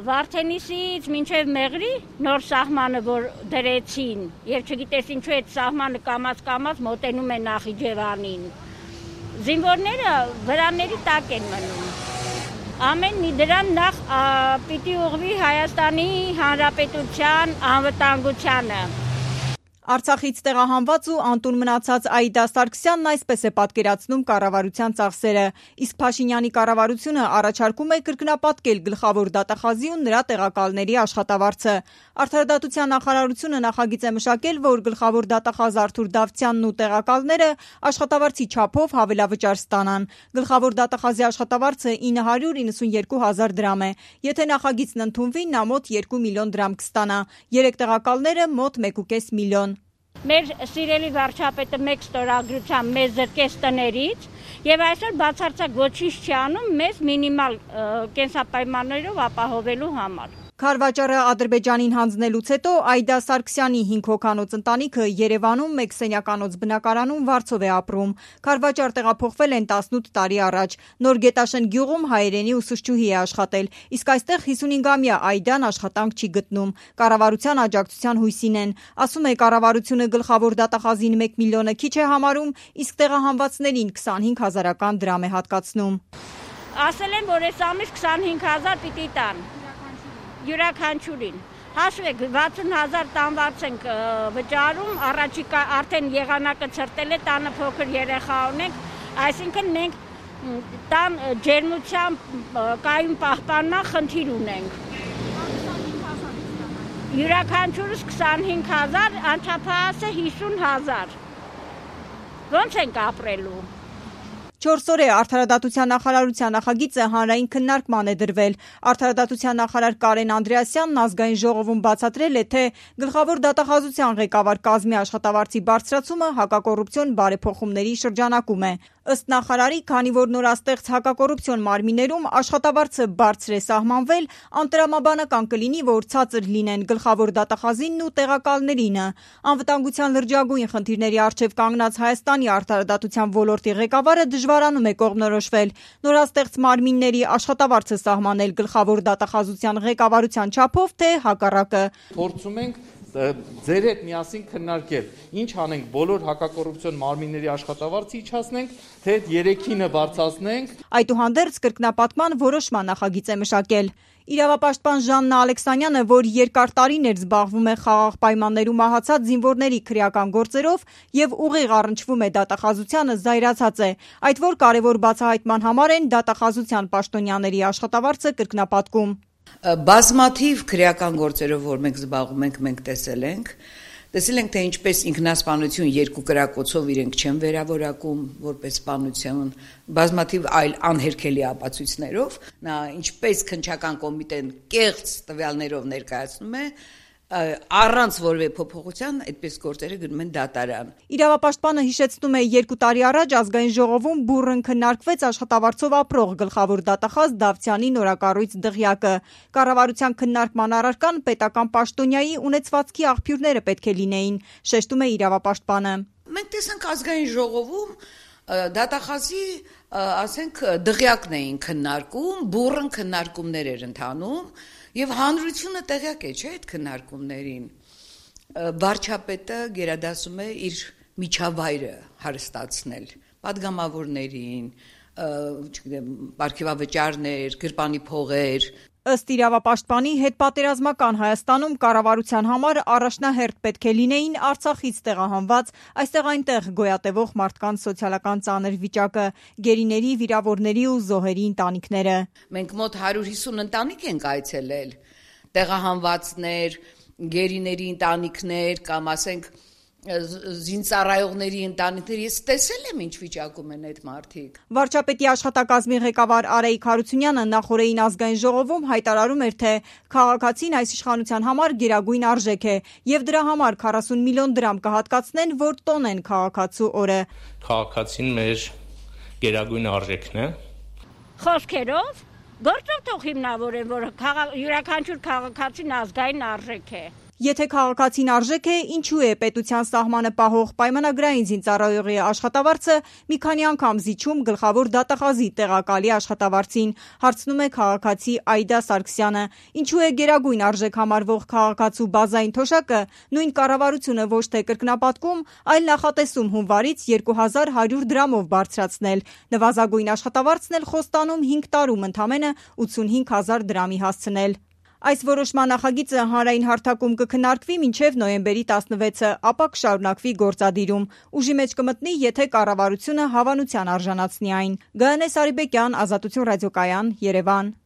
Վարդենիսից մինչև Մեղրի նոր սահմանը, որ դրեցին, եւ չգիտես ինչու այդ սահմանը կամած մոտենում է Նախիջևանին։ Զինվորները վրաների տակ են մնում։ Ամեն մի դրան նախ պիտի ուղղվի Հայաստանի Հանրապետության անվտանգությանը։ Արցախից տեղահանված ու անտուն մնացած Աիդա Սարգսյանն այսպես է պատկերացնում կառավարության ծախսերը, իսկ Փաշինյանի կառավարությունը առաջարկում է կրկնապատկել գլխավոր դատախազի ու նրա տեղակալների աշխատավարձը։ Արդարադատության նախարարությունը նախագիծ է մշակել, որ գլխավոր դատախազ Արթուր Դավթյանն ու տեղակալները աշխատավարձի չափով հավելավճար ստանան։ Գլխավոր դատախազի աշխատավարձը 992,000 դրամ է։ Եթե նախագիծն ընդունվի, նա մոտ 2 միլիոն դրամ կստանա։ 3 տեղակալները մոտ 1,5 միլիոն։ Մեր սիրելի վարչապետը մեկ ստորագրությամբ մեզ զրկեց տներից եւ այսօր բացարձակ ոչինչ չի անում մեզ մինիմալ կենսապայմաններով ապահովելու համար։ Քարվաճառը Ադրբեջանին հանձնելուց հետո Աիդա Սարգսյանի 5 հոգանոց ընտանիքը Երևանում մեկ սենյականոց բնակարանում վարձով է ապրում։ Քարվաճառ տեղափոխվել են 18 տարի առաջ։ Նոր Գետաշեն գյուղում հայերենի ուսուցչուհի է աշխատել, իսկ այստեղ 55-ամյա Աիդան աշխատանք չի գտնում։ Կառավարության աջակցության հույսին են։ Ասում է կառավարությունը գլխավոր դատախազին 1 միլիոնը քիչ է համարում, իսկ տեղահանվածներին 25,000 դրամ է հատկացնում։ Ասել են, որ այս ամիս 25,000 պիտի տան։ Յուրաքանչյուրին հաշվեք 60,000 տանված ենք վճարում, առաջիկա արդեն եղանակը ցրտել է, տանը փոքր երեխա ունենք, այսինքն մենք տան ջերմությամբ կայուն պահպանման խնդիր ունենք։ Յուրաքանչյուրս 25,000, անչափահասը 50,000։ Ոնց ենք ապրելու։ 4 օր է Արդարադատության նախարարության նախագիծը հանրային քննարկման է դրվել։ Արդարադատության նախարար Կարեն Անդրեասյանն ազգային ժողովում բացատրել է, թե գլխավոր դատախազության ղեկավար կազմի աշխատավարձի բարձրացումը հակակոռուպցիոն բարեփոխումների շրջանակում է։ Ըստ նախարարի, քանի որ նորաստեղծ հակակոռուպցիոն մարմիններում աշխատավարձը բարձր է սահմանվել, անտրամաբանական կլինի, որ ցածր լինեն գլխավոր դատախազինն ու տեղակալներինը։ Անվտանգության լրջագույն խնդիրների առջև կանգնած Հայաստանի արդարադատության ոլորտի ղեկավարը դժվարանում է կողմնորոշվել նորաստեղծ մարմինների աշխատավարձը սահմանել գլխավոր դատախազության ղեկավարության չափով, թե հակառակը։ Փորձում ենք ձեր հետ միասին քննարկել, ինչ անենք, բոլոր հակակոռուպցիոն մարմինների աշխատավարձը իջացնենք, թե 3-ինը բարձրացնենք։ Այդուհանդերձ կրկնապատկման որոշման նախագիծ է մշակել։ Իրավապաշտպան Ժաննա Ալեքսանյանը, որ երկար տարիներ զբաղվում է խաղաղ պայմաններում մահացած զինվորների քրեական գործերով եւ ուղիղ առնչվում է դատախազությանը, զայրացած է, այդ որ կարևոր բացահայտման համար են դատախազության պաշտոնյաների աշխատավարձը կրկնապատկում։ Բազմաթիվ քրեական գործերով, որ մենք զբաղվում ենք, մենք տեսել ենք, թե ինչպես ինքնասպանություն երկու կրակոցով իրենք չեն վերավորակում որպես սպանություն, բազմաթիվ այլ անհերքելի ապացույցներով, նա ինչպես քննչական կոմիտեն կեղծ տվյալներով ներկայացնում է, առանց որևէ փոփոխության այդպես գործերը գնում են դատարան։ Իրավապաշտպանը հիշեցնում է 2 տարի առաջ ազգային ժողովում բուռն քննարկվեց աշխատավարձով ապրող գլխավոր դատախազ Դավթյանի նորակառույց դղյակը։ Կառավարության քննարկման առարկան պետական պաշտոնյայի ունեցվածքի աղբյուրները պետք է լինեին, շեշտում է իրավապաշտպանը։ Մենք տեսանք ազգային ժողովում դատախազի, ասենք, դղյակն էին քննարկում, բուռն քննարկումներ էր ընթանում, եւ հանրությունը տեղյակ է, չէ՞, այդ քննարկումներին։ Վարչապետը գերադասում է իր միջավայրը հարստացնել պատգամավորներին, չգիտեմ, պարգևավճարներ, գրպանի փողեր։ Ըստ իրավապաշտպանի, հետպատերազմական Հայաստանում կառավարության համար առաջնահերթ պետք է լինեին Արցախից տեղահանված, այստեղ այնտեղ գոյատևող մարդկանց սոցիալական ծանր վիճակը, գերիների, վիրավորների ու զոհերի ընտանիքները։ Մենք մոտ 150 ընտանիք ենք այցելել, տեղահանվածներ, գերիների ընտանիքներ կամ ասենք զինծառայողների ընտանիքներ, ես տեսել եմ ինչ վիճակում են այդ մարդիկ։ Վարչապետի աշխատակազմի ղեկավար Արայիկ Հարությունյանը նախորդին ազգային ժողովում հայտարարում էր, թե քաղաքացին այս իշխանության համար գերագույն արժեք է եւ դրա համար 40 միլիոն դրամ կհատկացնեն, որ տոնեն քաղաքացու օրը։ Քաղաքացին մեր գերագույն արժեքն է։ Խոսքերով գործով թող հիմնավորեն, որ յուրաքանչյուր քաղաքացին ազգային արժեք է։ Եթե քաղաքացին արժեք է, ինչու է պետության սահմանը պահող պայմանագրային զինծառայողի աշխատավարձը մի քանի անգամ զիջում գլխավոր դատախազի տեղակալի աշխատավարձին, հարցնում է քաղաքացի Այդա Սարգսյանը։ Ինչու է գերագույն արժեք համարվող քաղաքացու բազային թոշակը նույն կառավարությունը ոչ թե կրկնապատկում, այլ նախատեսում հունվարից 2100 դրամով բարձրացնել։ Նվազագույն աշխատավարձն էլ խոստանում 5 տարում ընդամենը 85,000 դրամի հասցնել։ Այս որոշման նախագիծը հանրային հարթակում կքննարկվի մինչև նոյեմբերի 16-ը, ապա կշարունակվի գործադիրում։ Ուժի մեջ կմտնի, եթե կառավարությունը հավանության արժանացնի այն։ Գայանե Սարիբեկյան, Ազատություն ռադիոկայան, Երևան։